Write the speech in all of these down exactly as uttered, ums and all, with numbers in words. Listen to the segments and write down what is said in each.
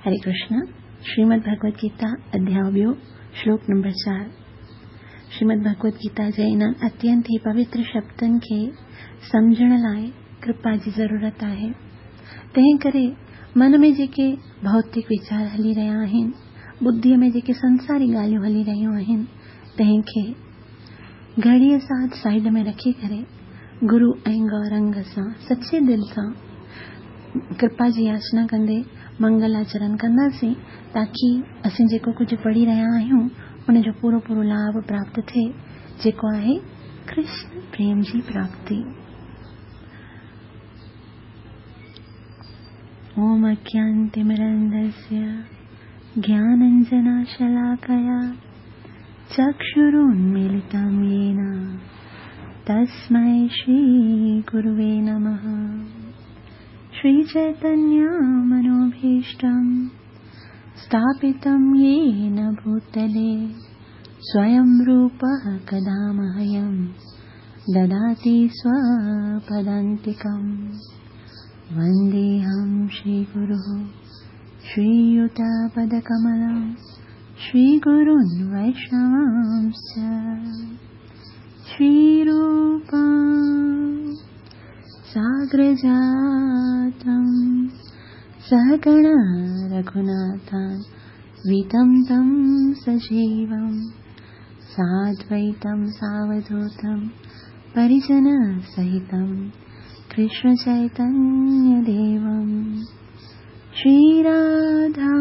हरे कृष्ण। श्रीमद् भगवद गीता अध्याय ॿियो, श्लोक नंबर चारि। श्रीमद् भगवद गीता जे इन्हनि अत्यंत ई पवित्र शब्दनि खे सम्झण लाइ कृपा जी ज़रूरत आहे। तंहिं करे मन में जेके भौतिक वीचार हली रहिया आहिनि, बुद्धीअ में जेके संसारी ॻाल्हियूं हली रहियूं आहिनि, तंहिंखे घड़ीअ सां साइड में रखी करे गुरू ऐं गौरंग सां सच्चे दिलि सां कृपा जी याचना कंदे मंगलाचरण कंदासीं, ताकी असीं जेको कुझु पढ़ी रहिया आहियूं उनजो पूरो पूरो लाभ प्राप्त थिए, जेको आहे कृष्ण प्रेम जी प्राप्ति। ओम अज्ञानतिमिरन्धस्य ज्ञानाञ्जनशलाकया चक्षुरुन्मीलितं येन तस्मै श्रीगुरुवे नमः। श्रीचैतन्यमनोभीष्टं स्थापितं येन भूतले स्वयं रूपः कदा मह्यं ददाति स्वपदान्तिकं। वन्देऽहं श्रीगुरुः श्रीयुतपदकमलं श्रीगुरून् वैष्णवांश्च। श्रीरूपं साग्रजातं सहगण रघुनाथान्वितं तं सजीवं साद्वैतं सावधूतं परिजनसहितं कृष्णचैतन्यदेवं। श्रीराधा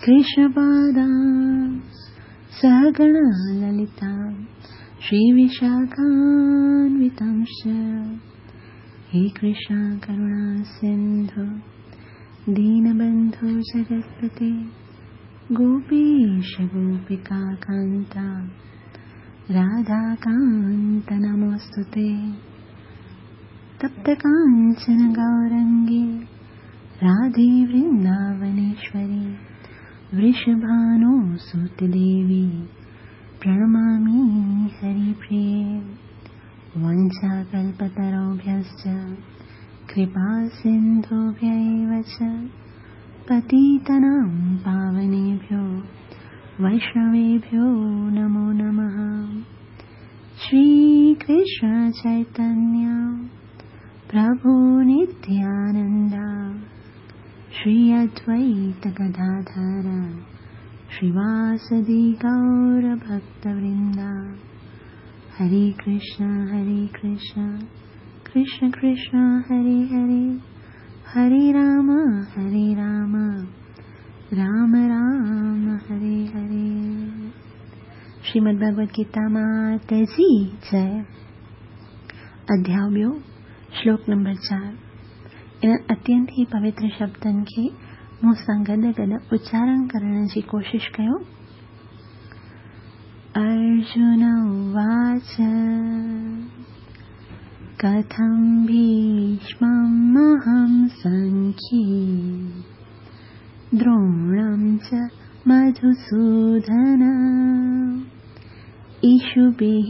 कृष्णपादां सहगण ललितां श्रीविशाखान्वितांश्च। हे कृष्ण करुणा सिन्धु दीनबन्धु जगत्पते गोपीश गोपिकान्त राधाकान्त नमोऽस्तुते। तप्तकाञ्चन गौरङ्गे राधे वृन्दावनेश्वरी वृषभानुसुते देवी प्रणमामि हरिप्रिये। वञ्चाकल्पतरुभ्यश्च कृपासिन्धुभ्य एव च पतितानां पावनेभ्यो वैष्णवेभ्यो नमो नमः। श्रीकृष्ण चैतन्य प्रभु नित्यानन्द श्री अद्वैत गदाधर श्रीवासदि गौरभक्तवृन्द। हरे कृष्ण हरे कृष्ण कृष्ण कृष्ण हरे हरे, हरे राम हरे राम राम राम हरे हरे। श्रीमद् भगवद गीता मात जी जय। अध्याय ॿियो, श्लोक नंबर चारि। इन अत्यंत ई पवित्र शब्दनि खे मूं सां गॾु गॾु उच्चारण करण जी कोशिश कयो। अर्जुन उवाच कथं भीष्मम् अहं सङ्ख्ये द्रोणं च मधुसूदन इषुभिः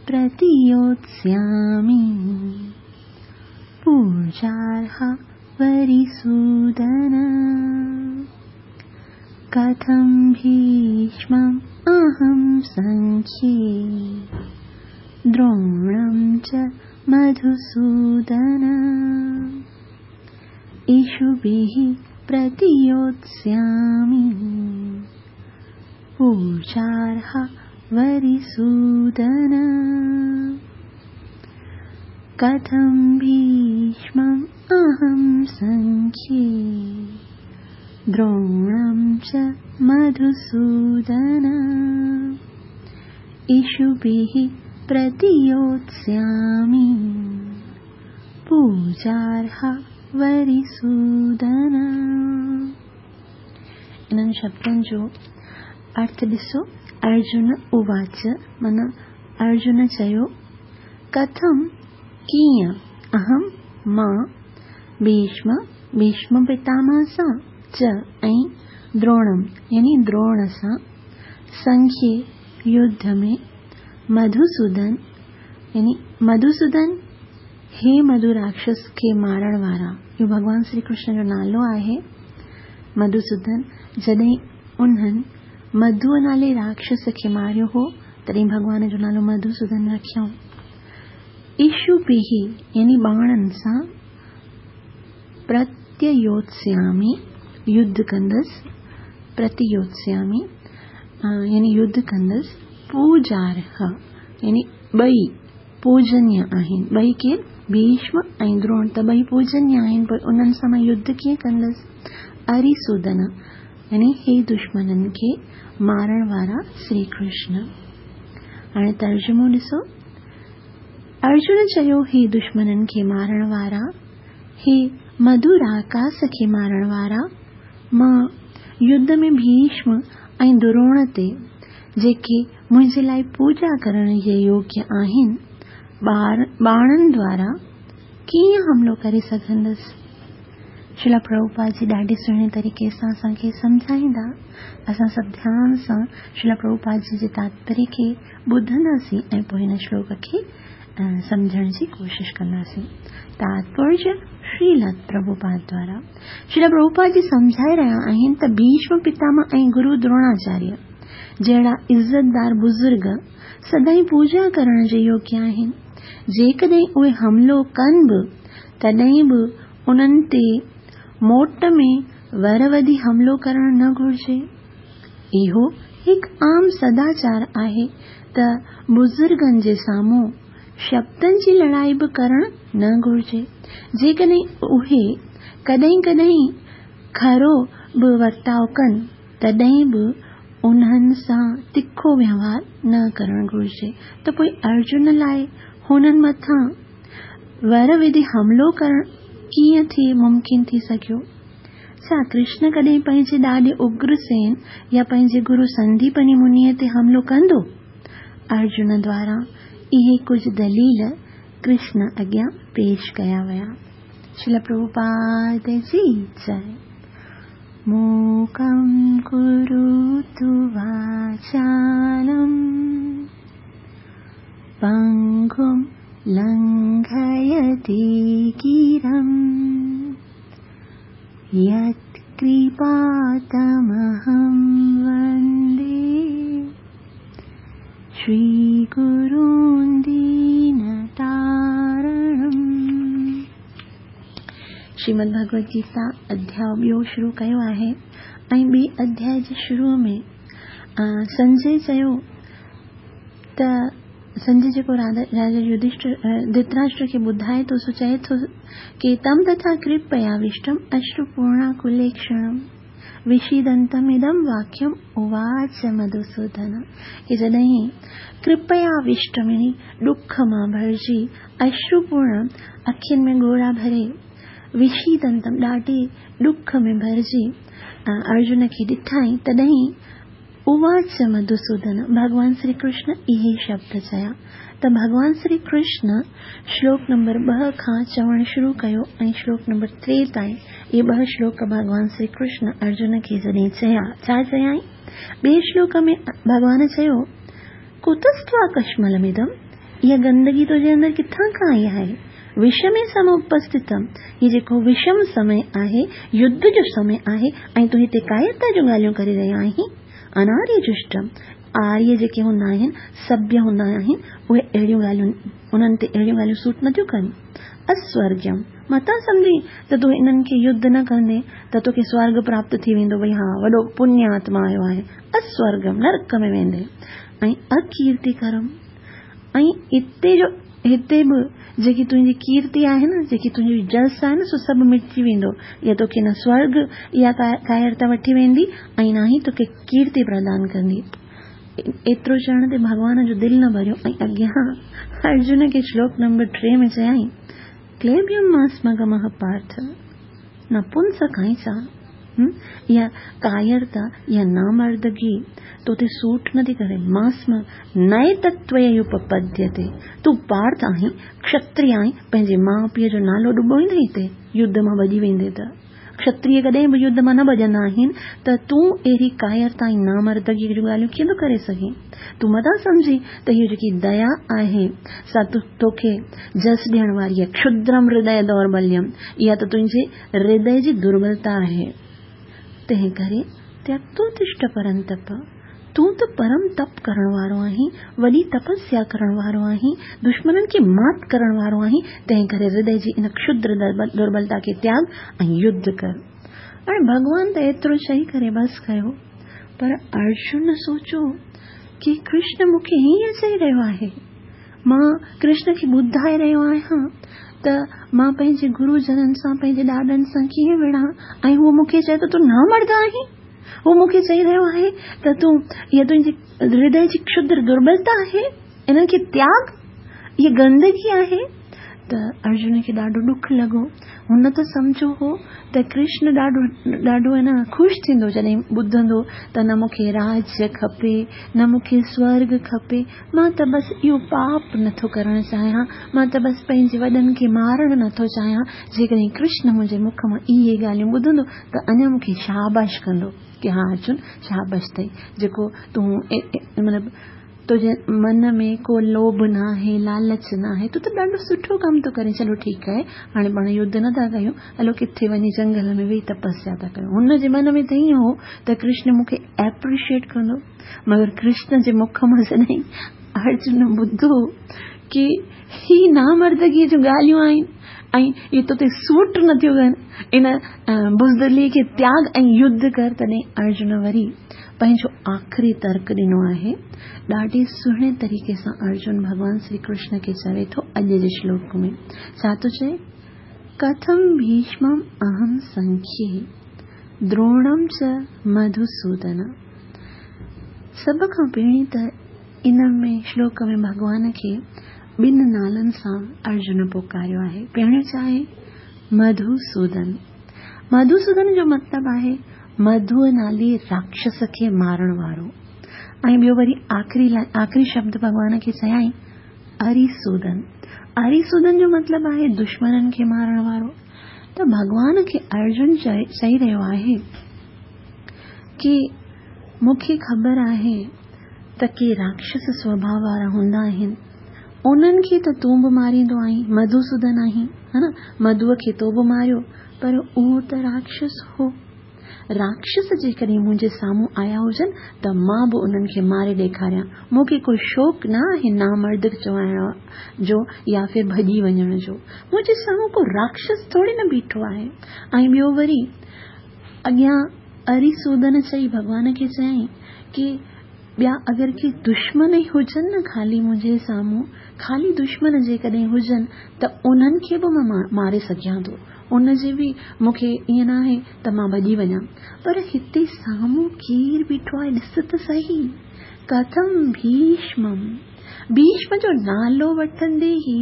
प्रतियोत्स्यामि पूजार्हा वरिसूदन। कथं भीष्मम् अहं सङ्ख्ये द्रोणं च मधुसूदन इषुभिः प्रतियोत्स्यामि पूजार्हा वरिसूदन। कथं भीष्मम् अहं सङ्ख्ये द्रोणं च मधुसूदन इषुभिः प्रतियोत्स्यामि पूजार्हा वरिसूदन। इन्हनि शब्दनि जो अर्थ ॾिसो। अर्जुन उवाच माना अर्जुन चयो, कथं कीअं, अहं मां, भीष्म भीष्म पितामह सां, च ऐं द्रोणम यानी द्रोण सां, संख्ये युद्ध में, मधुसूदन यानी मधुसूदन हे मधु राक्षस खे मारण वारा, इहो भॻवान श्री कृष्ण जो नालो आहे। मधुसूदन जॾहिं उन्हनि मधुअ नाले राक्षस खे मारियो हो, तॾहिं भॻवान जो नालो मधुसूदन रखियऊं। इशुभिः यानी बाणनि सां प्रत्ययोत्स्यामि युद्ध कंदसि, प्रतियोत्स्यामि यानी युद्ध कंदसि। पूजार्ह यानी ॿई पूजनीय आहिनि, ॿई केरु? भीष्म ऐं द्रोण त ॿई पूजनीय आहिनि, पोइ उन्हनि सां मां युद्ध कीअं कंदसि? अरिसूदन यानी हे दुश्मननि खे मारण वारा श्री कृष्ण। हाणे तर्जुमो ॾिसो। अर्जुन चयो, हे दुश्मननि खे मारण वारा, हे मधु राकास खे मारण वारा, मां युद्ध में भीष्म ऐं द्रोण ते जेके मुंहिंजे लाइ पूजा करण जे योग्य आहिनि, बाणनि द्वारा कीअं हमलो करे सघंदसि? श्रील प्रभुपाद जी ॾाढे सुहिणे तरीक़े सां असांखे सम्झाईंदा। असां सभु ध्यान सां श्रील प्रभुपाद जी जे तात्पर्य खे ॿुधंदासीं ऐं पोइ हिन श्लोक खे सम्झण जी कोशिश कंदासीं। तात्पर्य श्रील प्रभुपाद द्वारा श्रील प्रभुपाद जी सम्झाए रहिया आहिनि त भीष्म पितामह ऐं गुरु द्रोणाचार्य जहिड़ा इज़तदार बुज़ुर्ग सदाईं पूजा करण जे योग्य आहिनि। जेकॾहिं उहे हमलो कनि बि, तॾहिं बि उन्हनि ते मोट में वर वधी हमलो करणु न घुर्जे। इहो हिकु आम सदाचार आहे त बुज़ुर्गनि जे साम्हूं शब्दनि जी लड़ाई बि करणु न घुर्जे। जेकॾहिं उहे कॾहिं कॾहिं खरो बि वर्ताव कनि, तॾहिं बि उन्हनि सां तिखो व्यवहार न करणु घुर्जे। त पोइ अर्जुन लाइ हुननि मथां वर विधि हमलो करणु कीअं थी मुमकिन थी सघियो? छा कृष्ण कॾहिं पंहिंजे ॾाॾे उग्रसेन या पंहिंजे गुरु संदीपनी मुनीअ ते हमलो कंदो? अर्जुन द्वारा इहे कुझु दलील कृष्ण अॻियां पेश कया विया। श्रील प्रभुपाद जी जय। मूकं करोतु वाचालं पङ्गुं लङ्घयति गिरिं यत्कृपातमहं वन्दे श्रीगुरुं दीनतारणम्। श्रीमद् भगवद गीता अध्याय ॿियो शुरू कयो आहे ऐं ॿिए अध्याय जे शुरू में संजय चयो त संजय जेको राजा युधिष्ठिर धृतराष्ट्र खे ॿुधाए थो, सो चए थो की तम तथा कृपयाविष्टम अश्रुपूर्णाकुलेक्षणम विषीदंतम इदम वाक्यम उवाच मधुसूदन। की जॾहिं कृपयाविष्टम यानी ॾुख मां भरिजी, अश्रुपूर्ण अखियुनि में ॻोढ़ा भरे, विषीदंतम ॾाढे ॾुख में भरिजी अर्जुन खे ॾिठाई, तॾहिं उवाच मधुसूदन भॻवान श्री कृष्ण इहे शब्द चया। त भॻवान श्री कृष्ण श्लोक नंबर ॿ खां चवणु शुरू कयो ऐं श्लोक नंबर टे ताईं इहे ॿ श्लोक भॻवान श्री कृष्ण अर्जुन खे जॾहिं चया, छा चयाई? ॿिए श्लोक में भॻवान चयो, कुतस्त्वा कश्मलमिदम, इहा गंदगी तुंहिंजे अंदरि किथां खां आई आहे? विषमे समुपस्थितम, हीउ जेको विषम समय आहे, युद्ध जो समय आहे ऐं तूं हिते कायरता जूं ॻाल्हियूं करे रहियो आहीं। अनार्य जुष्टम, आर्य जेके हूंदा आहिनि, सभ्य हूंदा आहिनि, उहे अहिड़ियूं ॻाल्हियूं उन्हनि ते अहिड़ियूं ॻाल्हियूं सूट नथियूं कनि। अस्वर्ग्यम, मतां सम्झी त तूं इन्हनि खे युद्ध न कंदे त तोखे स्वर्ग प्राप्त थी वेंदो, भई हा वॾो पुण्य आत्मा आयो आहे। अस्वर्गम, नरक में वेंदे। ऐं अकीर्तिकरम, ऐं हिते जो हिते बि जेकी तुंहिंजी कीर्ति आहे न, जेकी तुंहिंजी जस आहे न, सो सभु मिटजी वेंदो। इहा तोखे न स्वर्ग इहा कायरता वठी वेंदी ऐं न ई तोखे कीर्ति प्रदान कंदी। एतिरो चवण ते भॻवान जो दिलि न भरियो ऐं अॻियां अर्जुन खे श्लोक नंबर टे में चयाई, क्लेब्यम मास्मगमः पार्थ नपुंसक आहीं छा? इहा कायरता, इहा नामर्दगी तो ते सूट नथी करे। मास्म नए तत्वय उपपद्यते, तूं पार्थ आहीं, क्षत्रिय आहीं, पंहिंजे माउ पीउ जो नालो डुबोईंदे हिते युद्ध मां भॼी वेंदे त। क्षत्रिय कॾहिं बि युद्ध मां न भॼंदा आहिनि, त तूं अहिड़ी कायरता ऐं नामर्दगीअ जूं ॻाल्हियूं कीअं थो करे सघीं? तूं मथां सम्झी त इहो जेकी दया आहे सा तोखे जस ॾियण वारी आहे। क्षुद्रम हृदय दौर्बल्यम, इहा त तुंहिंजे हृदय जी दुर्बलता आहे। तंहिं करे त्यक्तोतिष्ठ परंतप, तूं त परम तप करण वारो आहीं, वॾी तपस्या करण वारो आहीं, दुश्मननि खे मात करण वारो आहीं, तंहिं करे हृदय जी इन क्षुद्र दुर्बलता खे त्याग ऐं युद्ध कर। हाणे भॻवान त एतिरो चई करे बसि कयो, पर अर्जुन सोचो की कृष्ण मूंखे हीअं चई रहियो आहे, मां कृष्ण खे ॿुधाए रहियो आहियां त मां पंहिंजे गुरुजननि सां पंहिंजे ॾाॾनि सां कीअं विढ़ां, ऐं उहो मूंखे चए थो तूं न मर्द आहीं, उहो मूंखे चई रहियो आहे त तूं इहा तुंहिंजी हृदय जी क्षुद्र दुर्बलता आहे, इन्हनि खे त्याग, इहा गंदगी आहे। त अर्जुन खे ॾाढो ॾुख लॻो। हुन त सम्झो हो त कृष्ण ॾाढो ॾाढो है न ख़ुशि थींदो जॾहिं ॿुधंदो त न मूंखे राज्य खपे, न मूंखे स्वर्ग खपे, मां त बसि इहो पाप नथो करणु चाहियां, मां त बसि पंहिंजे वॾनि खे मारणु नथो चाहियां। जेकॾहिं कृष्ण मुंहिंजे मुख मां इहे ॻाल्हियूं ॿुधंदो त अञा मूंखे शाबाश कंदो की हा अर्जुन शाबाश अथई, जेको तूं मतिलबु तुंहिंजे मन में को लोभ न आहे, लालच न आहे, तूं त ॾाढो सुठो कमु थो करें, चलो ठीकु आहे, हाणे पाण युद्ध नथा कयूं, हलो किथे वञी जंगल में वेही तपस्या था कयूं। हुनजे मन में त ईअं हो त कृष्ण मूंखे एप्रिशिएट कंदो, मगर कृष्ण जे मुख मां जॾहिं अर्जुन ॿुधो की ही नामर्दगीअ जूं ॻाल्हियूं आहिनि ऐं इहे तो ते सूट नथियूं कनि, इन बुज़दिली खे त्याग ऐं युद्ध कर, तॾहिं अर्जुन वरी पंहिंजो आख़िरी तर्क ॾिनो आहे। ॾाढे सुहिणे तरीक़े सां अर्जुन भॻवान श्री कृष्ण खे चवे थो अॼु जे श्लोक में, छा थो चए? कथम भीष्मम् अहं संख्ये द्रोणं च मधुसूदन। सभ खां पहिरीं त इन में श्लोक में भॻवान खे ॿिनि नालनि सां अर्जुन पुकारियो आहे। पहिरियों छा आहे? मधुसूदन। मधुसूदन जो मतिलबु आहे मधुअ नाले राक्षस खे मारण वारो, ऐं ॿियो वरी आख़िरी आख़िरी शब्द भॻवान खे चयाईं अरिसूदन। अरिसूदन जो मतिलबु आहे दुश्मननि खे मारण वारो। त भॻवान खे अर्जुन चई रहियो आहे की मूंखे ख़बर आहे त के राक्षस स्वभाव वारा हूंदा आहिनि, उन्हनि खे त तूं बि मारींदो आहीं, मधुसूदन आहीं, हा न, मधुअ खे तो बि मारियो, पर उहो त राक्षस हो। राक्षस जेकॾहिं मुंहिंजे साम्हूं आया हुजनि त मां बि उन्हनि खे मारे ॾेखारियां, मूंखे को शौक़ु न आहे नामर्द चवाइण जो या फिर भॼी वञण जो, मुंहिंजे साम्हूं को राक्षस थोरी न बीठो आहे। ऐं ॿियो वरी अॻियां अरिसूदन चई भॻवान खे चयाईं की ॿिया अगरि के दुश्मन ई हुजनि न, ख़ाली मुंहिंजे साम्हूं ख़ाली दुश्मन जेकॾहिं हुजनि त उन्हनि खे बि मां मारे सघां थो, उनजे बि मूंखे ईअं न आहे त मां भॼी वञां, पर हिते साम्हूं केरु बीठो आहे ॾिस त सही। कथम भीष्मम, भीष्म जो नालो वठंदे ई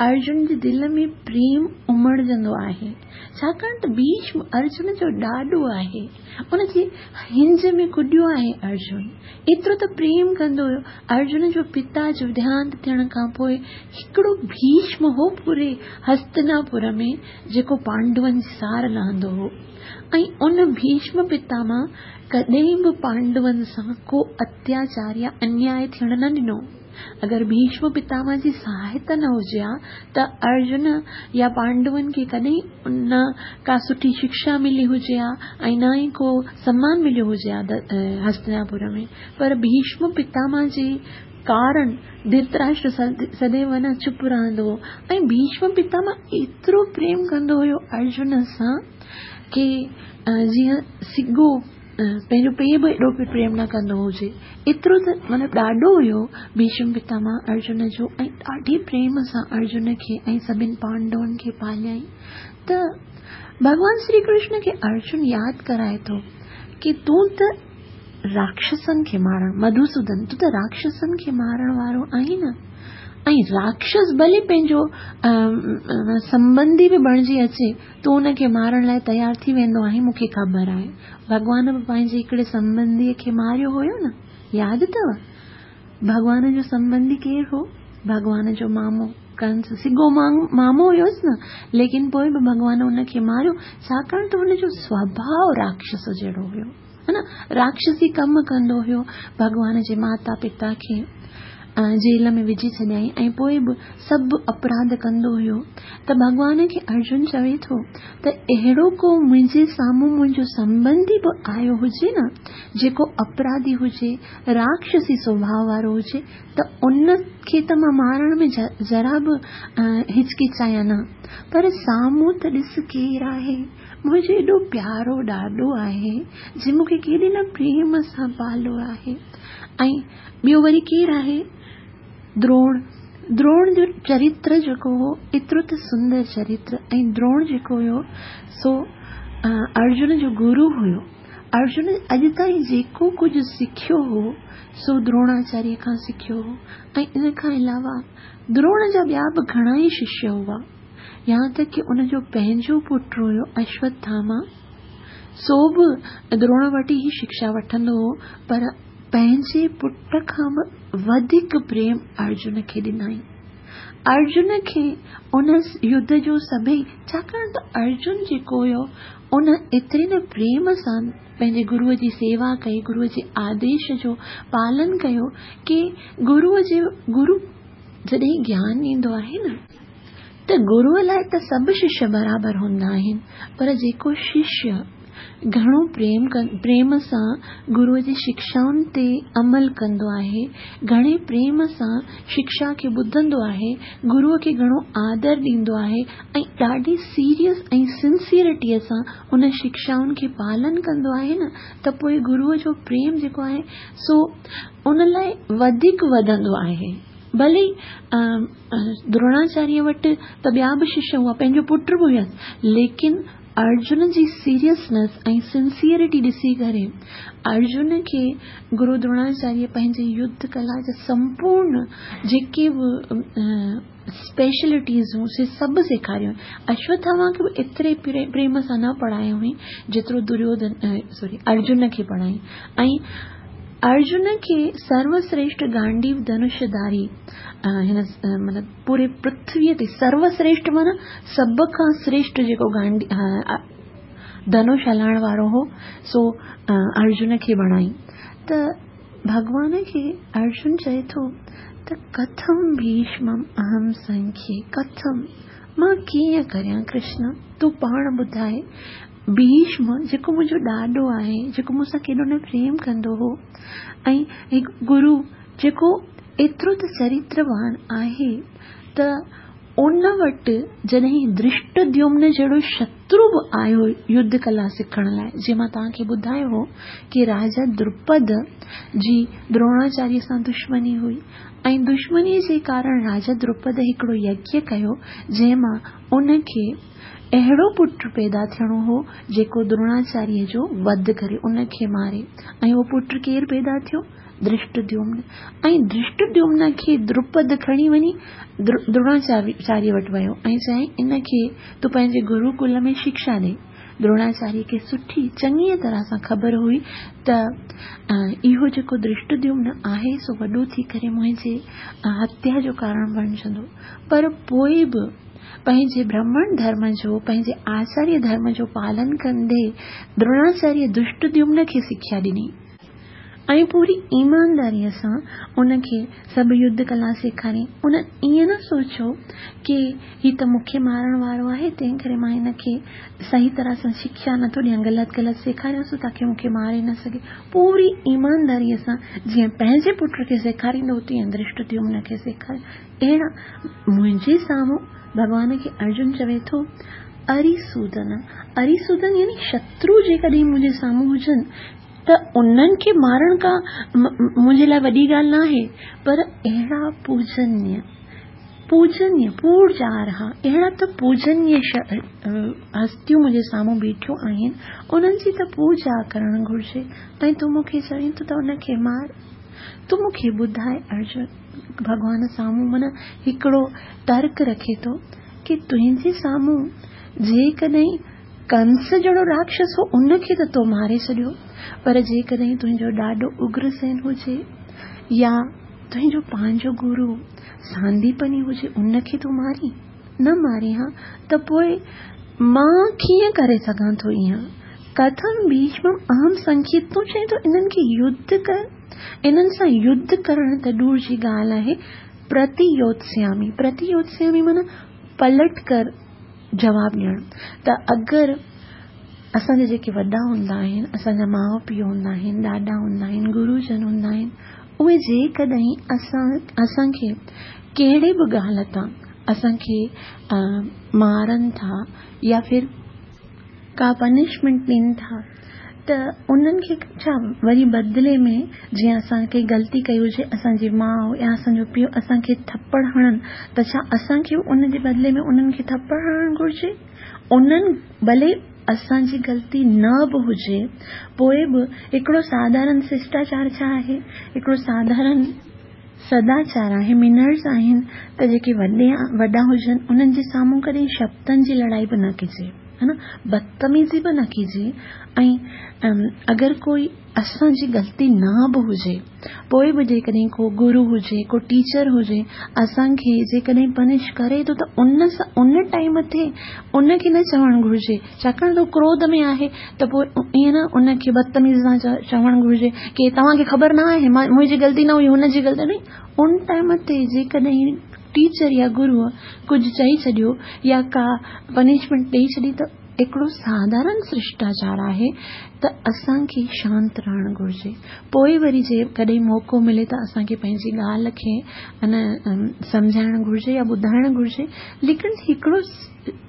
अर्जुन जे दिलि में प्रेम उमड़जंदो आहे, छाकाणि त भीष्म अर्जुन जो ॾाॾो आहे, उनजे हिंज में कुॾियो आहे अर्जुन, एतिरो त प्रेम कंदो हुयो। अर्जुन जो पिता जो देहांत थियण खां पोइ हिकिड़ो भीष्म हो पूरे हस्तिनापुर में जेको पांडवनि जी सार लहंदो हो, ऐं उन भीष्म पितामह कॾहिं बि पांडवनि सां को अत्याचार या अन्याय थियण न ॾिनो। अगरि भीष्म पितामह जी सहायता न हुजे हा त अर्जुन या पांडवनि खे कॾहिं न का सुठी शिक्षा मिली हुजे हा ऐं न ई को सम्मान मिलियो हुजे हा हस्तिनापुर में, पर भीष्म पितामह जे कारण धृतराष्ट्र सदैव न चुप रहंदो हो। ऐं भीष्म पितामह एतिरो प्रेम कंदो हुयो अर्जुन सां की जीअं सिगो पंहिंजो पीउ बि एॾो प्रेम न कंदो हुजे, एतिरो त मतिलबु ॾाढो हुयो भीष्म पितामह अर्जुन जो, ऐं ॾाढे प्रेम सां अर्जुन खे ऐं सभिनी पांडवनि खे पालियाईं। त भॻवान श्री कृष्ण खे अर्जुन यादि कराए थो की तूं त राक्षसनि खे मारण, मधुसूदन तूं त राक्षसनि खे मारण वारो आहीं न, ऐं राक्षस भले पंहिंजो संबंधी बि बणिजी अचे, तूं उनखे मारण लाइ तयारु थी वेंदो आहीं, मूंखे ख़बर आहे। भॻवान बि पंहिंजे हिकिड़े संबंधीअ खे मारियो हुयो न, यादि अथव? भॻवान जो संबंधी केरु हो? भॻवान जो मामो कंस, सिगो मामो हुयोसि न, लेकिन पोइ बि भॻवान उनखे मारियो, छाकाणि त हुनजो स्वभाव राक्षस जहिड़ो हुयो, हा न, राक्षसी कमु कंदो हुयो। भॻवान जे माता पिता खे جيل ۾ وجهي ڇڏيائين ۽ پوءِ به سڀ اپراڌ ڪندو هيو. ته ڀڳوان کي ارجن چوي ٿو ته اهڙو ڪو منهنجي سامهون منهنجو سنٻنڌي به آيو هجي نه، جيڪو اپراڌي هجي، راڪشسي سوڀاءُ وارو هجي، ته ان کي ته مان مارڻ ۾ ذرا به هچڪچايان نه، پر سامهون ته ڏس ڪير آهي، منهنجو ايڏو پيارو ڏاڏو آهي، جنهن مون کي ڪيڏي نه پريم سان پاليو آهي. ۽ ٻيو وري ڪير آهي؟ دروڻ. دروڻ جو چرتر جيڪو هو ايترو ته سندر چرتر، ۽ دروڻ جيڪو هيو سو ارجن جو گرو هيو. ارجن اڄ تائين جيڪو ڪجهه سکيو هو سو دروڻاچاريه کان سکيو هو. ۽ ان کان علاوه دروڻ جا ٻيا به گهڻا ئي ششيه هئا. يهان تڪ ڪه ان جو پنهنجو پٽ هيو اشوٿاما، سو به دروڻ وٽ ئي شڪشا وٺندو هو، پر پنهنجي پٽ کان به وڌيڪ پريم ارجن کي ڏنائين. ارجن کي ان يڌ جو سڀئي، ڇاڪاڻ ته ارجن جيڪو هيو ان ايتري نه پريم سان پنهنجي گروءَ جي سيوا ڪئي، گروءَ جي آديش جو پالن ڪيو ڪه گروءَ جي گرو جڏهن گيان ڏيندو آهي نه ته گروءَ لاءِ ته سڀ ششيه برابر هوندا آهن، پر جيڪو ششيه گهڻو پريم پريم سان گروءَ جي شڪشائن تي عمل ڪندو آهي، گهڻي پريم سان شڪشا کي ٻڌندو آهي، گروءَ کي گهڻو آدر ڏيندو آهي ۽ ڏاڍي سيريس ۽ سنسيئرٽيءَ سان ان شڪشائن کي پالن ڪندو آهي نه، ته پوءِ گروءَ جو پريم جيڪو آهي سو ان لاءِ وڌيڪ وڌندو آهي. ڀلي دروڻاچاريه وٽ ته ٻيا به ششيه هئا، پنهنجو پٽ به هيس، ليڪن ارجن جي سيريسنيس ۽ سنسيئرٽي ڏسي ڪري ارجن کي گرو دروڻاچاريه پنهنجي يڌ ڪلا جا سمپورڻ جيڪي به اسپيشلٽيز هيون سي سڀ سيکاريون. اشوٿاما کي به ايتري پريم سان نه پڙهايو هئي جيترو دريوڌن سوري ارجن کي پڙهائي. ۽ ارجن کي سروشريشٺ گانڊيو ڌنشڌاري هن مطلب پوري پرٿويءَ تي سروشريشٺ معنيٰ سڀ کان شريشٺ جيڪو گانڊي ڌنش هلائڻ وارو هو سو ارجن کي بڻائي. ته ڀڳوان کي ارجن چئي ٿو ته ڪٿم ڀيشمم اهم سنکي، ڪٿم مان ڪيئن ڪريان ڪرشن، تون پاڻ ٻڌائي. ڀيشم جيڪو منهنجو ڏاڏو آهي، جيڪو مون سان ڪيڏو نه پريم ڪندو هو، ۽ هڪ گرو جيڪو ايترو ته چرتروان آهي، ته ان وٽ جڏهن درشٽديمن جهڙو شترو به آيو يڌ ڪلا سکڻ لاءِ، جيئن مان توهان کي ٻڌايو هو ڪه راجا دروپد جي دروڻاچاريه سان دشمني هئي ۽ دشمنيءَ جي ڪارڻ راجا دروپد هڪڙو يگيه ڪيو جنهن مان ان کي اهڙو پٽ پيدا ٿيڻو هو جيڪو دروڻاچاريه جو وڌ ڪري ان کي ماري. ۽ اهو پٽ ڪير پيدا ٿيو؟ درشٽديمن. ۽ درشٽديمن کي دروپد کڻي وڃي دروڻاچاريه وٽ ويو ۽ چيائين ان کي تون پنهنجي گروڪل ۾ شڪشا ڏي. دروڻاچاريه کي سٺي چڱيءَ طرح سان خبر هئي ته اهو جيڪو درشٽديمن آهي سو وڏو ٿي ڪري منهنجي هتيا جو ڪارڻ بڻجندو، پر پوءِ به پنهنجي برهمڻ ڌرم جو، پنهنجي آچاريه ڌرم جو پالن ڪندي دروڻاچاريه درشٽديمن کي سکيا ڏني ۽ پوري ايمانداريءَ سان ان کي سڀ يڌ ڪلا سيکاري. ان ائين نه سوچيو ڪه هي ته مون کي مارڻ وارو آهي، تنهن ڪري مان هن کي صحيح طرح سان شڪشا نٿو ڏيان، غلط غلط سيکاريانس تاڪه مون کي ماري نه سگهي. پوري ايمانداريءَ سان جيئن پنهنجي پٽ کي سيکاريندو تيئن درشٽديمن کي سيکاري. اهڙا منهنجي سامهون ڀڳوان کي ارجن چوي ٿو اريسودن، اريسودن يعني شترو جيڪڏهن منهنجي سامهون هجن ته انهن کي مارڻ ڪا منهنجي لاءِ وڏي ڳالهه نه آهي، پر اهڙا پوجنيه پوجنيه پوجارها، اهڙا ته پوجنيه هستيون منهنجي سامهون بيٺيون آهن، انهن جي ته پوڄا ڪرڻ گهرجي ۽ تون مون کي چوين ٿو ته ان کي مار. تون مون کي ٻڌائي ارجن، ڀڳوان سامهون معنيٰ هڪڙو ترڪ رکي ٿو ڪه تنهنجي سامهون جيڪڏهن ڪنس جهڙو راڪشس هو ان کي ته تو ماري ڇڏيو، پر جيڪڏهن تنهنجو ڏاڏو اگرسين هجي يا تنهنجو پنهنجو گرو سانديپني هجي ان کي تون ماري نه ماري ها ته پوءِ مان ڪيئن ڪري سگهان ٿو ائين؟ कथम भीष्मम अहम संख्ये, तूं चएं थो इन्हनि खे युद्ध कर, इन्हनि सां युद्ध करणु त दूर जी ॻाल्हि आहे। प्रतियोत्स्यामि, प्रतियोत्स्यामि माना पलट कर जवाब ॾियणु। त अगरि असांजा जेके वॾा हूंदा आहिनि, असांजा माउ पीउ हूंदा आहिनि, ॾाॾा हूंदा आहिनि, गुरूजन हूंदा आहिनि, उहे जेकॾहिं असां असांखे कहिड़े बि ॻाल्हि तां असांखे मारनि था या फिर का पनिशमेंट ॾियनि था, त उन्हनि खे छा वरी बदिले में जीअं असां कंहिं ग़लती कई हुजे, असांजी माउ या असांजो पीउ असांखे थप्पड़ हणनि, त छा असांखे उन जे बदिले में उन्हनि खे थप्पड़ हणणु घुरिजे? उन्हनि भले असांजी ग़लती न बि हुजे, पोइ बि हिकिड़ो साधारण शिष्टाचार छा आहे, हिकिड़ो साधारण सदाचार आहे, मिनर्स आहिनि, त जेके वॾे वॾा हुजनि उन्हनि जे साम्हूं कॾहिं शब्दनि जी लड़ाई बि न कजे, है न, बदतमीज़ी बि न कजे। ऐं अगरि कोई असांजी ग़लती न बि हुजे, पोइ बि जेकॾहिं को गुरू हुजे, को टीचर हुजे, असांखे जेकॾहिं पनिश करे थो त उन सां उन टाइम ते उनखे न चवणु घुरिजे, छाकाणि त हू क्रोध में आहे, त पोइ ईअं न उनखे बदतमीज़ी सां चवणु घुरिजे की तव्हांखे ख़बर न आहे, मां मुंहिंजी ग़लती न हुई, हुनजी ग़लती हुई। उन टाइम ते जेकॾहिं टीचर या गुरूअ कुझु चई छॾियो या का पनिशमेंट ॾेई छॾी, त हिकिड़ो साधारण शिष्टाचार आहे त असांखे शांत रहणु घुरिजे। पोइ वरी जे कॾहिं मौक़ो मिले त असांखे पंहिंजी ॻाल्हि खे अन सम्झाइणु घुरिजे या ॿुधाइणु घुरिजे। लेकिन हिकिड़ो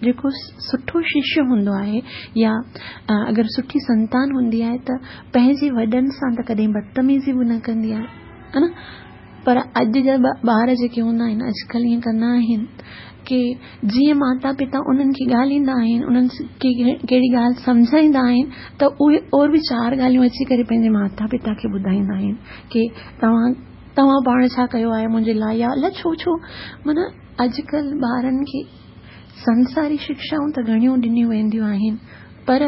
जेको सुठो शिष्य हूंदो आहे या अगरि सुठी संतान हूंदी आहे त पंहिंजे वॾनि सां त कॾहिं बदतमीज़ी बि न कंदी आहे, है न। पर अॼु जा ॿार जेके हूंदा आहिनि अॼुकल्ह ईअं कंदा आहिनि की जीअं माता पिता उन्हनि खे ॻाल्हाईंदा आहिनि, उन्हनि खे कहिड़ी ॻाल्हि सम्झाईंदा आहिनि, त उहे और बि चारि ॻाल्हियूं अची करे पंहिंजे माता पिता खे ॿुधाईंदा आहिनि की तव्हां तव्हां पाण छा कयो आहे मुंहिंजे लाइ, या अलाए छो छो। माना अॼुकल्ह ॿारनि खे संसारी शिक्षाऊं त घणियूं ॾिनियूं वेंदियूं आहिनि, पर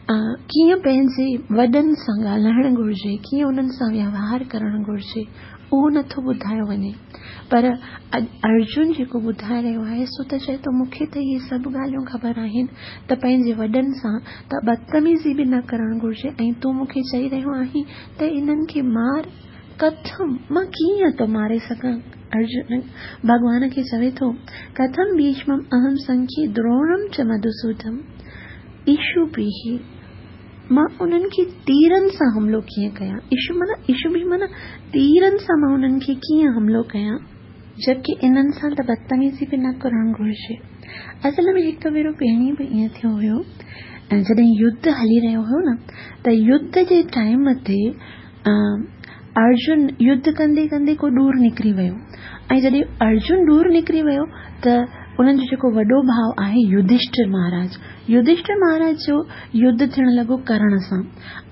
कीअं पंहिंजे वॾनि सां ॻाल्हाइणु घुरिजे, कीअं उन्हनि सां व्यवहार करणु घुरिजे, उहो नथो ॿुधायो वञे। पर अर्जुन जेको ॿुधाए रहियो आहे सो त चए थो मूंखे त इहे सभु ॻाल्हियूं ख़बर आहिनि त पंहिंजे वॾनि सां त बदतमीज़ी बि न करणु घुरिजे, ऐं तूं मूंखे चई रहियो आहीं त इन्हनि खे मार, कथम मां कीअं थो मारे सघां? अर्जुन भॻवान खे चवे थो, कथम भीष्मम अहम संख्ये द्रोणम च मधुसूदम इशुभिः, मां उन्हनि खे तीरनि सां हमलो कीअं कयां? इशु माना इशु माना तीरनि सां मां उन्हनि खे कीअं हमलो कयां, जबकि इन्हनि सां त बदतमीज़ी बि न करणु घुरिजे। असल में हिकु भेरो पहिरीं बि ईअं थियो हुयो, जॾहिं युद्ध हली रहियो हुयो न, त युद्ध जे टाइम ते अर्जुन युद्ध कंदे कंदे को ॾूर निकिरी वियो, ऐं जॾहिं अर्जुन ॾूर निकिरी वियो त उन्हनि जो जेको वॾो भाउ आहे युधिष्ठिर महाराज, युधिष्ठिर महाराज जो युद्ध थियण लॻो कर्ण सां,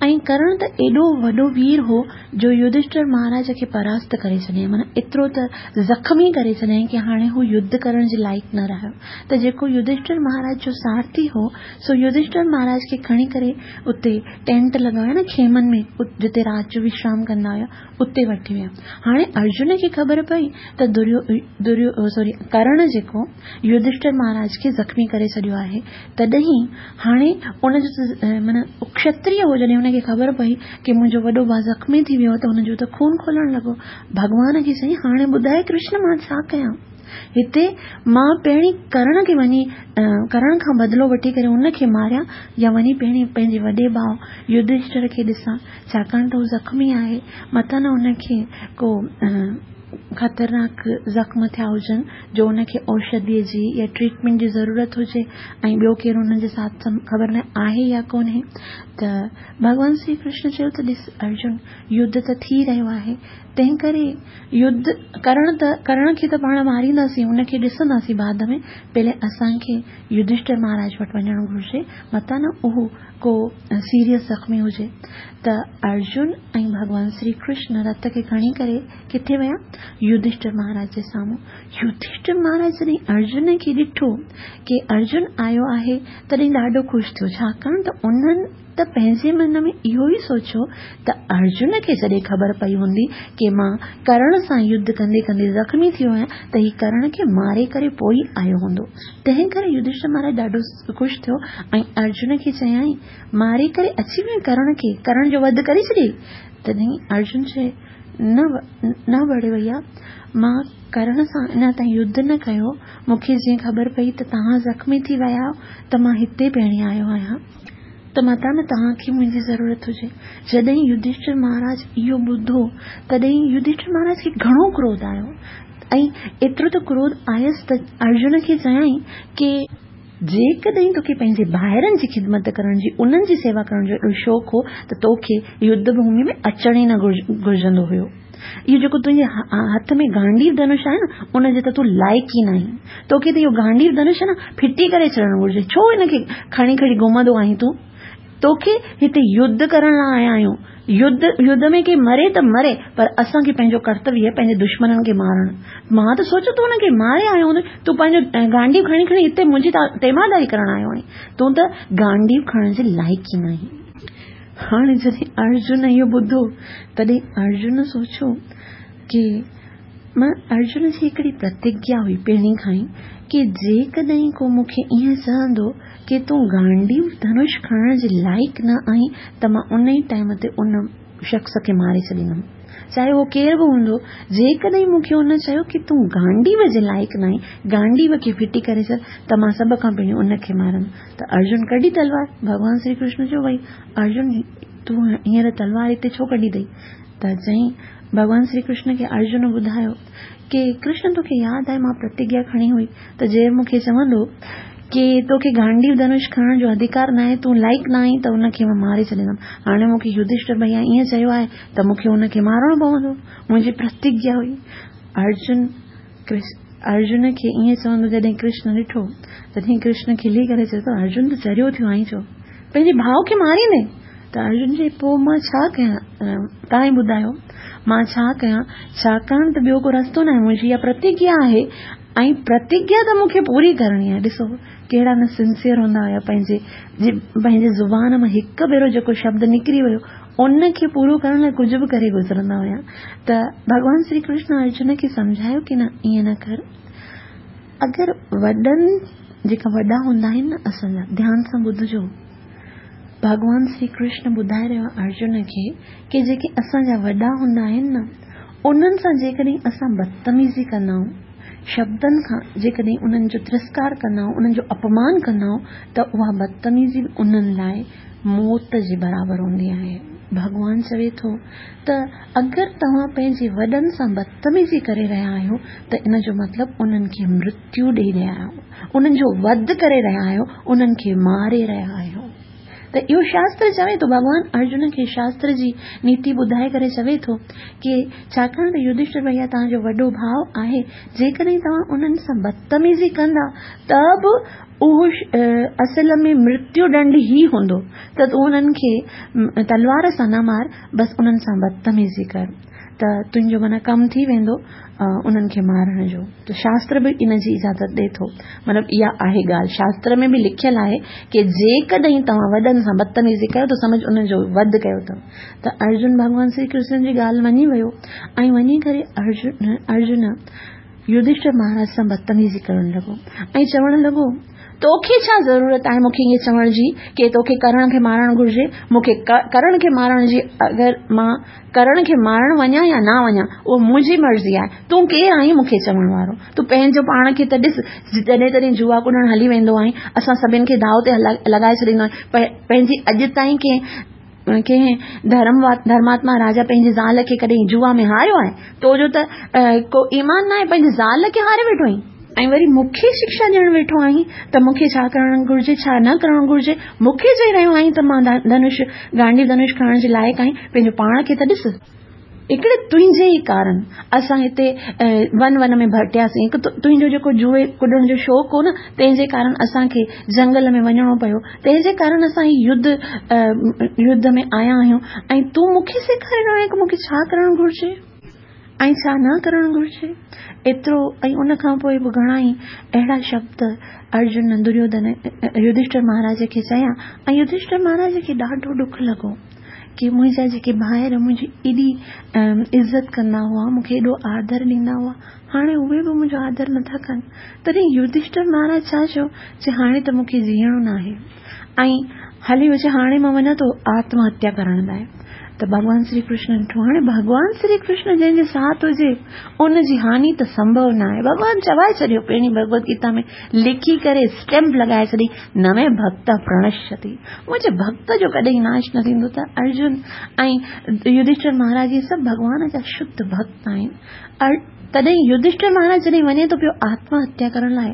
ऐं कर्ण त एॾो वॾो वीर हो जो युधिष्ठिर महाराज खे परास्त करे छॾियईं, माना एतिरो त ज़ख़्मी करे छॾियईं की हाणे हू युद्ध करण जे लाइक़ न रहियो। त जेको युधिष्ठिर महाराज जो सारथी हो सो युधिष्ठिर महाराज खे खणी करे उते टेंट लॻाया न खेमनि में, जिते राति जो विश्राम कंदा हुआ, उते वठी विया। हाणे अर्जुन खे ख़बर पई त दुर्यो दुर्यो सॉरी कर्ण जेको युधिष्ठिर महाराज खे ज़ख़्मी करे छॾियो आहे, तॾहिं हाणे उनजो माना क्षत्रिय हो, जॾहिं हुनखे ख़बर पई की मुंहिंजो वॾो भाउ ज़ख़्मी थी वियो त हुनजो त खून खोलणु लॻो। भॻवान खे चई हाणे ॿुधाए कृष्ण मां छा कयां, हिते मां पहिरीं कर्ण खे वञी कर्ण खां बदिलो वठी करे उनखे मारियां या वञी पहिरीं पंहिंजे वॾे भाउ युधिष्ठिर खे ॾिसां, छाकाणि त हू ज़ख़्मी आहे, मथां न हुनखे को ख़तरनाक ज़ख़्म थिया हुजनि जो हुनखे औषधीअ जी या ट्रीटमेंट जी ज़रूरत हुजे ऐं ॿियो केरु हुनजे साथ ख़बर न आहे या कोन्हे। त भॻवान श्री कृष्ण चयो त ॾिस अर्जुन, युद्ध त थी रहियो आहे, तंहिं करे युद्ध करण त करण खे त पाण मारींदासीं, हुनखे ॾिसंदासीं बाद में, पहिरें असांखे युधिष्ठिर महाराज वटि वञणु घुरिजे, मथां न उहो को सीरियस ज़ख़्मी हुजे। त अर्जुन ऐं भॻवान श्री कृष्ण रथ खे खणी करे किथे विया? युधिष्ठिर महाराज जे साम्हूं। युधिष्ठिर महाराज जॾहिं अर्जुन खे ॾिठो की अर्जुन आयो आहे, तॾहिं ॾाढो ख़ुशि थियो, छाकाणि त उन्हनि ته پنهنجي من ۾ اهو ئي سوچيو ته ارجن کي جڏهن خبر پئي هوندي ڪي مان ڪرڻ سان يڌ ڪندي ڪندي زخمي ٿي ويو آهيان ته هي ڪرڻ کي ماري ڪري پوء ئي آيو هوندو. تنهن ڪري يڌشٺر مهاراج ڏاڍو خوش ٿيو ۽ ارجن کي چيائين، ماري ڪري اچي ويو آهين ڪرڻ کي، ڪرڻ جو وڌ ڪري ڇڏيئي؟ تڏهن ارجن چيو، نه نه بڙي ڀئيا، مان ڪرڻ سان اڃا تائين يڌ نه ڪيو، مون کي جيئن خبر پئي ته توهان زخمي ٿي ويا آهيو ته مان هتي پهرين آيو آهيان ته متان نه توهان کي منهنجي ضرورت هجي. جڏهن يڌشٺر مهاراج اهو ٻڌو تڏهن يڌشٺر مهاراج کي گهڻو ڪروڌ آيو ۽ ايترو ته ڪروڌ آيس ته ارجن کي چيائين ڪي جيڪڏهن توکي پنهنجي ڀائرن جي خدمت ڪرڻ جي، انهن جي سيوا ڪرڻ جو ايڏو شوق هو ته توکي يڌ ڀومي ۾ اچڻ ئي نه گهرجندو هيو. اهو جيڪو تنهنجي هٿ ۾ گانڊيو ڌنش آهي نه، ان جي ته تون لائق ئي ناهين. توکي ته اهو گانڊيو ڌنش نه ڦٽي ڪري ڇڏڻ گهرجي. ڇو ان کي کڻي کڻي گهمندو آهين تون؟ توکي هتي يڌ ڪرڻ لاء آيا آهيون. يڌ يڌ ۾ ڪي مري ته مري، پر اسان کي پنهنجو ڪرتويه آهي پنهنجي دشمنن کي مارڻ. مان ته سوچيو تون انهن کي ماري آيو هوندين، تون پنهنجو گانڊيو کڻي کڻي هتي منهنجي تيمارداري ڪرڻ آيو آهين. تون ته گانڊيو کڻڻ جي لائق ئي ناهين. هاڻي جڏهن ارجن اهو ٻڌو، تڏهن ارجن سوچيو ڪي مان ارجن جي هڪڙي پرتگيا هئي پهرين کان ئي ڪي جيڪڏهن ڪو مون کي ائين چوندو ڪي تون گانڊيو ڌنش کڻڻ جي لائق نه آهين ته مان ان ئي ٽائيم تي ان شخص کي ماري ڇڏيندم، چاهي اهو ڪير به هوندو. جيڪڏهن مون کي ان چيو ڪي تون گانڊيو جي لائق نه آهين، گانڊيو کي ڦٽي ڪري ڇڏ، ته مان سڀ کان پهرين ان کي مارندم. ته ارجن ڪڍي تلوار. ڀڳوان شري ڪرشن چيو، ڀئي ارجن، تون هينئر تلوار هتي ڇو ڪڍي اٿئي؟ ته چيائين، ڀڳوان شري ڪرشن کي ارجن ٻڌايو ڪي ڪرشن توکي ياد آهي مان پرتگيا کڻي هئي ته جير مون کي چوندو ڪي توکي گانڊيو ڌنش کڻڻ جو اڌڪار ناهي، تون لائق نه آهين، ته ان کي مان ماري ڇڏيندم. هاڻي مون کي يڌشٺر ڀئيا ائين چيو آهي ته مون کي ان کي مارڻو پوندو، منهنجي پرتگيا هئي. ارجن ارجن کي ائين چوندو جڏهن ڪرشن ڏٺو تڏهن ڪرشن کلي ڪري چيو ته ارجن ته چريو ٿيو آهين، ڇو پنهنجي ڀاء کي ماريندين؟ ته ارجن چئي، پوء مان ڇا ڪيان، توهان ئي ٻڌايو مان ڇا ڪيان، ڇاڪاڻ ته ٻيو ڪو رستو ناهي، منهنجي اها پرتگيا آهي ۽ پرتگيا ته مون کي پوري ڪرڻي آهي. ڏسو ڪهڙا نه سنسيئر هوندا هيا، پنهنجي پنهنجي زبان مان هڪ ڀيرو جيڪو شبد نڪري ويو ان کي پورو ڪرڻ لاء ڪجهه به ڪري گذرندا هيا. ته ڀڳوان شري ڪرشن ارجن کي سمجهايو ڪي نه ائين نه ڪر، اگر وڏن جيڪا وڏا هوندا آهن نه اسان جا، ڌيان سان ٻڌجو، ڀڳوان شري ڪرشن ٻڌائي رهيو آهي ارجن کي ڪي جيڪي اسان جا وڏا هوندا آهن نه، انهن سان جيڪڏهن اسان بدتميزي ڪندا آهيون، شبدن کان جيڪڏهن انهن جو ترسڪار ڪندا آهيون، انهن جو اپمان ڪندا آهيون، ته اها بدتميزي به انهن لاء موت جي برابر هوندي آهي. ڀڳوان چوي ٿو ته اگر توهان پنهنجي وڏن سان بدتميزي ڪري رهيا آهيو ته ان جو مطلب انهن کي مرتيو ڏئي رهيا آهيو، انهن جو وڌ ڪري رهيا آهيو، انهن کي ماري رهيا آهيو. ته اهو شاستر چوي ٿو، ڀڳوان ارجن کي شاستر جي نيتي ٻڌائي ڪري چوي ٿو ڪي ڇاڪاڻ ته يڌشٺر ڀئيا توهان جو وڏو ڀاء آهي، جيڪڏهن توهان انهن سان بدتميزي ڪندا ته به اهو اصل ۾ مرتيو ڏنڊ ئي هوندو، ته تون انهن کي تلوار سان نه مار، بس انهن سان بدتميزي ڪر ته تنهنجو معنيٰ ڪم ٿي ويندو انهن کي مارڻ جو. ته شاستر به ان جي اجازت ڏئي ٿو. مطلب اها آهي ڳالهه، شاستر ۾ به لکيل آهي ڪي جيڪڏهن توهان وڏن سان بدتميزي ڪيو ته سمجهه انهن جو وڌ ڪيو اٿو. ته ارجن ڀڳوان شري ڪرشن جي ڳالهه مڃي ويو ۽ وڃي ڪري ارجن ارجن يڌشٺر مهاراج سان بدتميزي ڪرڻ لڳو ۽ چوڻ لڳو، توکي ڇا ضرورت آهي مون کي ائين چوڻ جي ڪي توکي ڪرڻ کي مارڻ گهرجي؟ مون کي ڪرڻ کي مارڻ جي، اگر مان ڪرڻ کي مارڻ وڃان يا نه وڃان اهو منهنجي مرضي آهي، تون ڪير آهين مون کي چوڻ وارو؟ تون پنهنجو پاڻ کي ته ڏس، جڏهن تڏهن جوا ڪڏڻ هلي ويندو آهين، اسان سڀن کي داء تي لڳائي ڇڏيندو آهين، پنهنجي اڄ تائين ڪنهن ڪنهن ڌرم ڌرماتما راجا پنهنجي زال کي ڪڏهن جوا ۾ هاريو آهي؟ تو جو ته ڪو ايمان ناهي، پنهنجي زال کي هاري ويٺو آهين ۽ وري مون کي شڪشا ڏيڻ ويٺو آهين ته مون کي ڇا ڪرڻ گهرجي ڇا نه ڪرڻ گهرجي. مون کي چئي رهيو آهين ته مان ڌنش گانڊيو ڌنش کڻڻ جي لائق آهين، پنهنجو پاڻ کي ته ڏس. هڪڙي تنهنجي ئي ڪارڻ اسان هتي ون ون ۾ ڀٽياسين، هڪ تنهنجو جيڪو جوئي ڪڏڻ جو شوق هو نه، تنهن جي ڪارڻ اسان کي جنگل ۾ وڃڻو پيو، تنهن جي ڪارڻ اسان هي يڌ يڌ ۾ آيا آهيون ۽ تون مون کي سيکاري رهيو آهين ڪه مون کي ڇا ڪرڻ گهرجي. ۽ ڇا نه ڪرڻ گهرجي. ايترو ۽ ان کان پوءِ به گهڻا ئي اهڙا شبد ارجن دريوڌن يڌشٺر مهاراج کي چيا ۽ يڌشٺر مهاراج کي ڏاڍو ڏک لڳو ڪه منهنجا جيڪي ڀائر منهنجي ايڏي عزت ڪندا هئا، مون کي ايڏو آدر ڏيندا هئا، هاڻي اهي به منهنجو آدر نٿا ڪن. تڏهن يڌشٺر مهاراج ڇا چيو، چي هاڻي ته مون کي جيئڻو ناهي ۽ هلي ويو، چي هاڻي مان وڃان ٿو آتم هتيا ڪرڻ لاءِ. ته ڀڳوان شري ڪرشن ڏٺو، هاڻي ڀڳوان شري ڪرشن جنهن جي ساٿ هجي ان جي هاني ته سنڀو نه آهي. ڀڳوان چوائي ڇڏيو، پهرين ڀڳوت گيتا ۾ لکي ڪري اسٽيمپ لڳائي ڇڏي، نه مي ڀڪت پرڻشيتي، منهنجي ڀڪت جو ڪڏهن ناش نه ٿيندو. ته ارجن ۽ يڌشٺر مهاراج اهي سڀ ڀڳوان جا شڌ ڀڪت آهن. تڏهن يڌشٺر مهاراج جڏهن وڃي ٿو پيو آتم هتيا ڪرڻ لاءِ،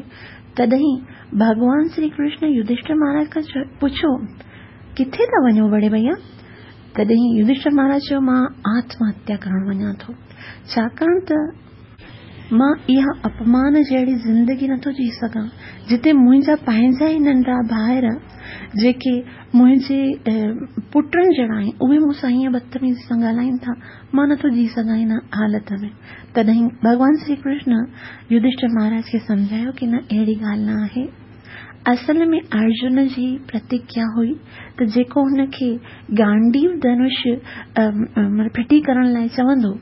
تڏهن ڀڳوان شري ڪرشن يڌشٺر مهاراج کان پڇيو، ڪٿي ٿا وڃو بڙي ڀئيا؟ تڏهن يڌشٺر مهاراج چيو، مان آتم هتيا ڪرڻ وڃان ٿو، ڇاڪاڻ ته مان اها اپمان جهڙي زندگي نٿو جي سگهان، جتي منهنجا پنهنجا ئي ننڍا ڀائر جيڪي منهنجي پٽن جهڙا آهن اهي مون سان هيئن بدتميزي سان ڳالهائين ٿا، مان نٿو جي سگهان هن حالت ۾. تڏهن ڀڳوان شري ڪرشن يڌشٺر مهاراج کي سمجهايو ڪه نه، اهڙي ڳالهه نه آهي. اصل ۾ ارجن جي پرتگيا هئي ته جيڪو هن کي گانڊيو ڌنش ڦٽي ڪرڻ لاءِ چوندو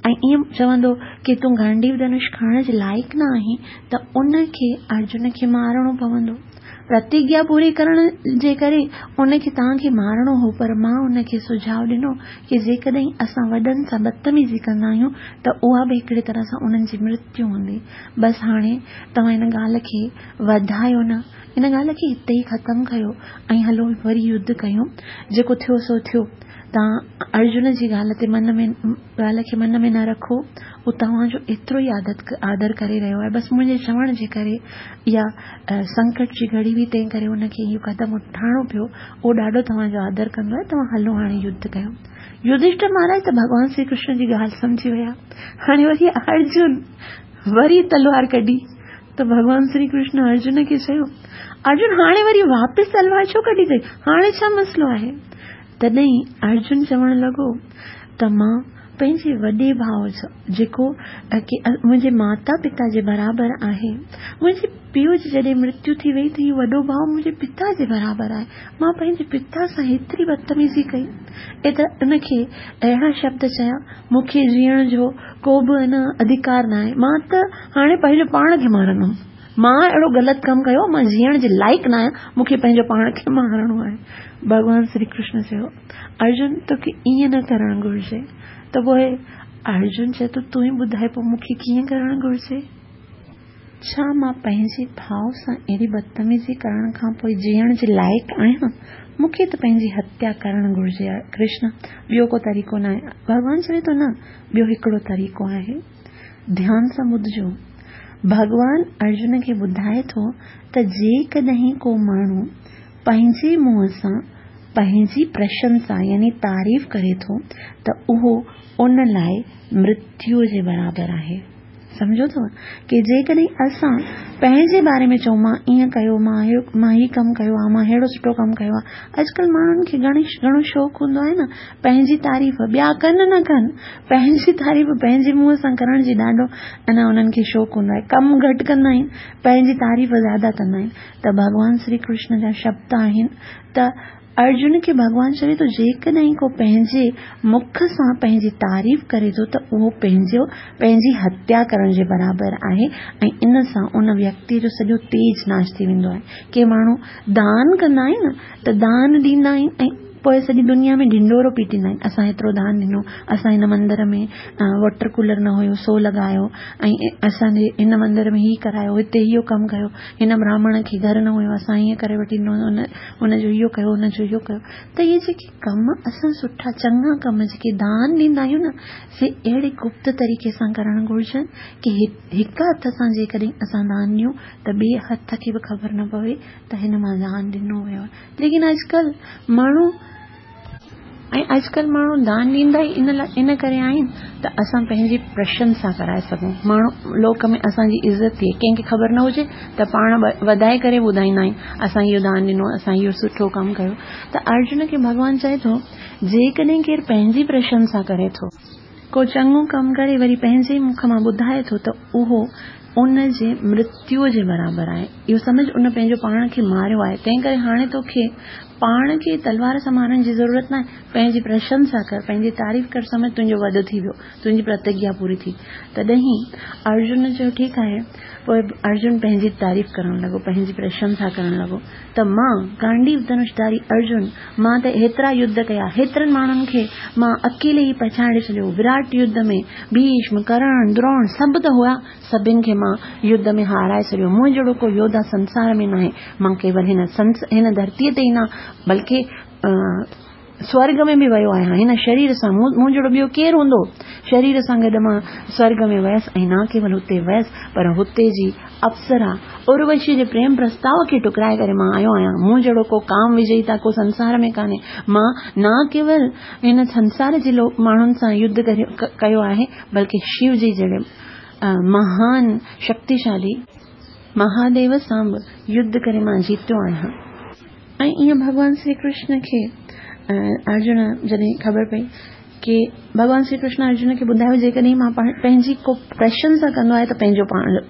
۽ ائين چوندو ڪه تون گانڊيو ڌنش کڻڻ جي لائق نه آهين، ته ان کي ارجن کي مارڻو پوندو. پرتگيا پوري ڪرڻ جي ڪري ان کي توهان کي مارڻو هو، پر مان ان کي سجهاءُ ڏنو ڪه جيڪڏهن اسان وڏن سان بدتميزي ڪندا آهيون ته اها به هڪڙي طرح سان انهن جي مرتيو هوندي. بس هاڻي توهان هن ڳالهه کي وڌايو نه، هن ڳالهه کي هتي ئي ختم ڪيو ۽ هلو وري يڌ ڪيون، جيڪو ٿيو سو ٿيو. توهان ارجن جي ڳالهه تي من ۾ ڳالهه کي من ۾ نه رکو، هو توهان جو ايترو ئي عادت آدر ڪري رهيو آهي، بس منهنجي چوڻ جي ڪري يا سنڪٽ جي گهڙي هئي تنهن ڪري هن کي اهو قدم اٺائڻو پيو. اهو ڏاڍو توهان جو آدر ڪندو آهي، توهان هلو هاڻي يڌ ڪيو. يڌشٺر مهاراج ته ڀڳوان شري ڪرشن جي ڳالهه سمجهي ويا. هاڻي وري ارجن وري تلوار ڪڍي ته ڀڳوان شري ڪرشن ارجن کي چيو، ارجن هاڻي وري واپس تلوار ڇو ڪڍي اٿئي، هاڻي ڇا مسئلو آهي؟ تڏهن ارجن چوڻ لڳو ته مان پنهنجي وڏي ڀاءُ جيڪو منهنجي ماتا پتا جي برابر آهي، منهنجي پيءُ جي جڏهن مرتيو ٿي وئي ته اهو وڏو ڀاءُ منهنجي پتا جي برابر آهي، مان پنهنجي پتا سان هيتري بدتميزي ڪئي، ايترا ان کي اهڙا شبد چيا، مون کي جيئڻ جو ڪو به نه اڌڪار نه آهي، مان ته هاڻي پنهنجو پاڻ کي مارندم، مان اهڙو غلط ڪم ڪيو، مان جيئڻ جي لائق نه آهيان، مون کي پنهنجو پاڻ کي مارڻو آهي. ڀڳوان شري ڪرشن چيو، ارجن توکي ائين نه ڪرڻ گهرجي. ته پوءِ ارجن چئي ٿو، تون ئي ٻڌائي پوءِ مون کي ڪيئن ڪرڻ گهرجي؟ ڇا مان پنهنجي ڀاءُ سان اهڙي بدتميزي ڪرڻ کان پوءِ جيئڻ جي لائق آهيان؟ مون کي ته پنهنجي هتيا ڪرڻ گهرجي ڪرشن، ٻيو ڪو طريقو نه آهي. ڀڳوان چوي ٿو، نه، ٻيو هڪڙو طريقو آهي، ڌيان سان ٻڌجو. ڀڳوان ارجن کي ٻڌائي ٿو ته جيڪڏهن ڪو ماڻهو پنهنجي منهن سان پنهنجي پرشنسا يعني تعريف ڪري ٿو ته اهو ان لاءِ مرتيو جي برابر آهي. سمجهو ٿو ڪه جيڪڏهن اسان پنهنجي باري ۾ چئون مان ائين ڪيو، مان مان هي ڪم ڪيو آهي، مان ههڙو سٺو ڪم ڪيو آهي. اڄڪلهه ماڻهن کي گهڻي گهڻو شوق هوندو آهي نه پنهنجي تعريف، ٻيا ڪن نه ڪن، پنهنجي تعريف پنهنجي منهن سان ڪرڻ جي ڏاڍو انا انهن کي شوق هوندو آهي. ڪم گهٽ ڪندا آهن، پنهنجي تعريف زياده ڪندا آهن. ته ڀڳوان شري ڪرشن جا شبد آهن ته ارجن کي ڀڳوان چوي ٿو، جيڪڏهن ڪو پنهنجي مک سان پنهنجي تعريف ڪري ٿو ته اهو پنهنجو پنهنجي هتيا ڪرڻ جي برابر آهي ۽ ان سان ان ويڪتيءَ جو سڄو تيج ناش ٿي ويندو آهي. ڪي ماڻهو دان ڪندا آهن ته دان ڏيندا آهن ۽ پوءِ سڄي دنيا ۾ ڍنڍورو پيٽيندا آهن، اسان هيترو دان ڏنو، اسان هن مندر ۾ واٽر ڪولر نه هيو سو لڳايو، ۽ اسان جي هن مندر ۾ هيءُ ڪرايو، هتي اهو ڪم ڪيو، هن براهمڻ کي گهر نه هيو اسان ائين ڪري وٺي ڏنو، هن هن جو اهو ڪيو، هن جو اهو ڪيو. ته اهي جيڪي ڪم اسان سٺا چڱا ڪم جيڪي دان ڏيندا آهيون نه، سي اهڙي گپت طريقي سان ڪرڻ گهرجن ڪه هڪ هٿ سان جيڪڏهن اسان دان ڏيون ته ٻئي هٿ کي به خبر نه پوي ته هن مان دان ڏنو ويو آهي. ليڪن اڄڪلهه ماڻهو ۽ اڄڪلهه ماڻهو دان ڏيندا ئي ان لاءِ ان ڪري آهن ته اسان پنهنجي پرشنسا ڪرائي سگهون، ماڻهو لوڪ ۾ اسان جي عزت ٿئي، ڪنهن کي خبر نه هجي ته پاڻ وڌائي ڪري ٻڌائيندا آهيون اسان اهو دان ڏنو، اسان اهو سٺو ڪم ڪيو. ته ارجن کي ڀڳوان چئي ٿو، جيڪڏهن ڪير پنهنجي پرشنسا ڪري ٿو ڪو چڱو ڪم ڪري وري پنهنجي ئي مک مان ٻڌائي ٿو ته اهو ان جي مرتيوء جي برابر آهي. اهو سمجهه ان پنهنجو پاڻ کي ماريو آهي، تنهن ڪري هاڻي توکي پاڻ کي تلوار سان مارڻ جي ضرورت ناهي. پنهنجي پرشنسا ڪر، پنهنجي تعريف ڪر، سمجهه تنهنجو وڌ ٿي ويو، تنهنجي پرتگيا پوري ٿي. تڏهن ارجن چيو ٺيڪ آهي. پوء ارجن پنهنجي تعريف ڪرڻ لڳو، پنهنجي پرشنسا ڪرڻ لڳو ته مان گانڊيو ڌنشڌاري ارجن، مان ته هيترا يڌ ڪيا، هيترن ماڻهن کي مان اڪيلي ئي پڇاڙي ڇڏيو، وراٽ يڌ ۾ ڀيشم، ڪرڻ، دروڻ سڀ ته هئا، سڀن کي مان يڌ ۾ هارائي ڇڏيو، مون جهڙو ڪو يوڌا سنسار ۾ ناهي، مان ڪيول هن هن ڌرتيء تي ئي نه بلڪه سورڳ ۾ به ويو آهيان، هن شرير سان مون جهڙو ٻيو ڪير هوندو؟ شرير سان گڏ مان سورڳ ۾ ويس ۽ نه ڪيول هتي ويس پر هتي جي اپسرا اروشيء جي پريم پرستاء کي ٺڪرائي ڪري مان آيو آهيان. مون جهڙو ڪو ڪام وجيتا ڪو سنسار ۾ ڪانهي. مان نه ڪيول هن سنسار جي ماڻهن سان يڌ ڪيو آهي بلڪه شو جي جهڙي مهان شڪتيشالي مهاديو سان به يڌ ڪري مان جيتيو آهيان. ۽ ائين ڀڳوان شري ڪرشن کي ارجن جڏهن خبر پئي ڪي ڀڳوان شري ڪرشن ارجن کي ٻڌايو جيڪڏهن مان پنهنجي ڪو پرشنسا ڪندو آهي ته پنهنجو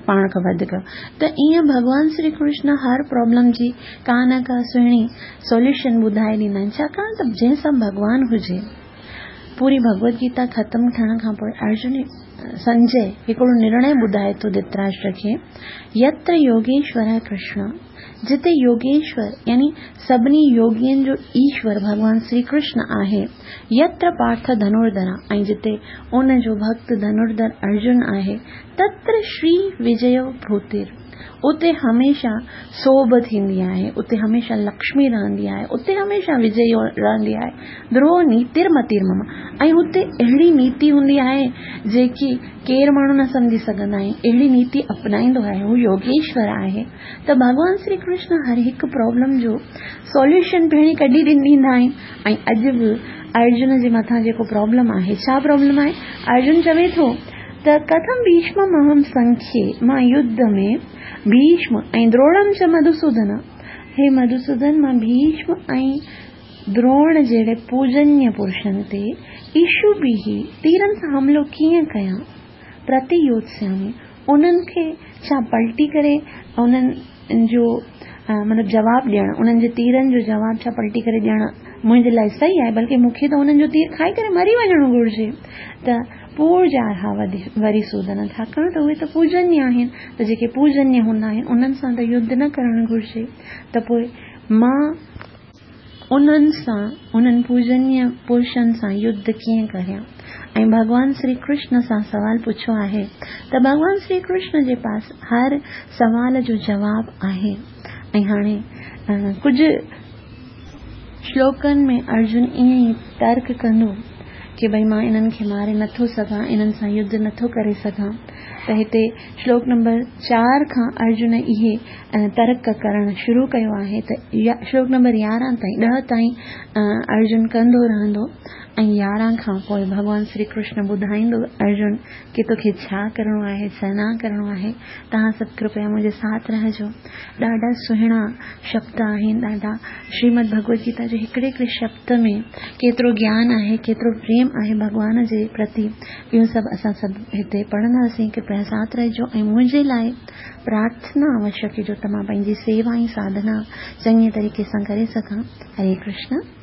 پاڻ کان وڌ ڪر ته ائين ڀڳوان شري ڪرشن هر پرابلم جي ڪا نه ڪا سهڻي سوليوشن ٻڌائي ڏيندا آهن، ڇاڪاڻ ته جنهن سان ڀڳوان هجي. پوري ڀڳوت گيتا ختم ٿيڻ کان پوء ارجن سنجي هڪڙو نرڻي ٻڌائي ٿو ڌرتراشٽر کي، يتر يوگيشور ڪرشن، جتي يوگيشور يعني سڀني يوگين جو ايشور ڀڳوان شري ڪرشن آهي، يتر پارٿ ڌنرڌرا ۽ جتي ان جو ڀڳت ڌنرڌر ارجن آهي، تتر شري وجيو ڀوتر، اتي هميشه سوڀ ٿيندي آهي، اتي هميشه لڪشمي رهندي آهي، اتي هميشه وجي رهندي آهي. ڌرو نيتر متير مم، ۽ اتي اهڙي نيتي هوندي آهي جيڪي ڪير ماڻهو نه سمجهي سگهندا آهن، اهڙي نيتي اپنائيندو آهي، هو يوگيشور آهي. ته ڀڳوان شري ڪرشن هر هڪ پرابلم جو سوليوشن پهرين ڪڍي ڏيندا آهن. ۽ اڄ به ارجن جي مٿان جيڪو پرابلم آهي، ڇا پرابلم آهي؟ ارجن چوي ٿو ته ڪٿم ڀيشم اهم سنکي، مان يڌ ۾ ڀيشم ۽ دروڻم چ مڌوسودن، هي مڌوسودن مان ڀيشم ۽ دروڻ جهڙي پوجنيه پرشن تي ايشو بيهي تيرن سان حملو ڪيئن ڪيان؟ پرتيوتسيامي، انهن کي ڇا پلٽي ڪري انهن جو مطلب جواب ڏيڻ، انهن جي تيرن جو جواب ڇا پلٽي ڪري ڏيڻ منهنجي لاء صحيح آهي؟ بلڪه مون کي ته انهن جو تير کائي ڪري مري وڃڻو گهرجي. ته پوڄارها وري سودن، ڇاڪاڻ ته اهي ته پوجنيه آهن، ته جيڪي پوجنيه هوندا آهن انهن سان ته يڌ نه ڪرڻ گهرجي، ته پوء مان انهن سان، انهن پوجنيه پرشن سان يڌ ڪيئن ڪريان؟ ۽ ڀڳوان شري ڪرشن سان سوال پڇيو آهي ته ڀڳوان شري ڪرشن جي پاس هر سوال جو جواب آهي. ۽ هاڻي ڪجهه شلوڪن ۾ ارجن ائين ئي ترڪ ڪندو ڪي ڀئي مان انهن کي ماري نٿو سگهان، انهن سان يڌ نٿو ڪري سگهان. ته هتي شلوڪ نمبر چار کان ارجن اهي ترڪ ڪرڻ شروع ڪيو آهي ته شلوڪ نمبر يارهن تائين، ڏهه تائين ارجن ڪندو رهندو ۽ يارهن کان پوء ڀڳوان شري ڪرشن ٻڌائيندو ارجن ڪي توکي ڇا ڪرڻو آهي، ڇا نه ڪرڻو آهي. توهان سڀ ڪرپيا منهنجي ساٿ رهجو. ڏاڍا سهڻا شبد آهن، ڏاڍا شريمد ڀڳوت گيتا جي هڪڙي هڪڙي شبد ۾ ڪيترو گيان آهي، ڪيترو پريم آهي ڀڳوان جي پرتي، اهو سڀ اسان سڀ هتي پڙهنداسين. ڪرپيا ساٿ رهجو ۽ منهنجي لاء پرارٿنا اوشيه ڪجو ته مان پنهنجي سيوا ۽ ساڌنا چڱي طريقي سان ڪري سگهان. هري ڪرشن.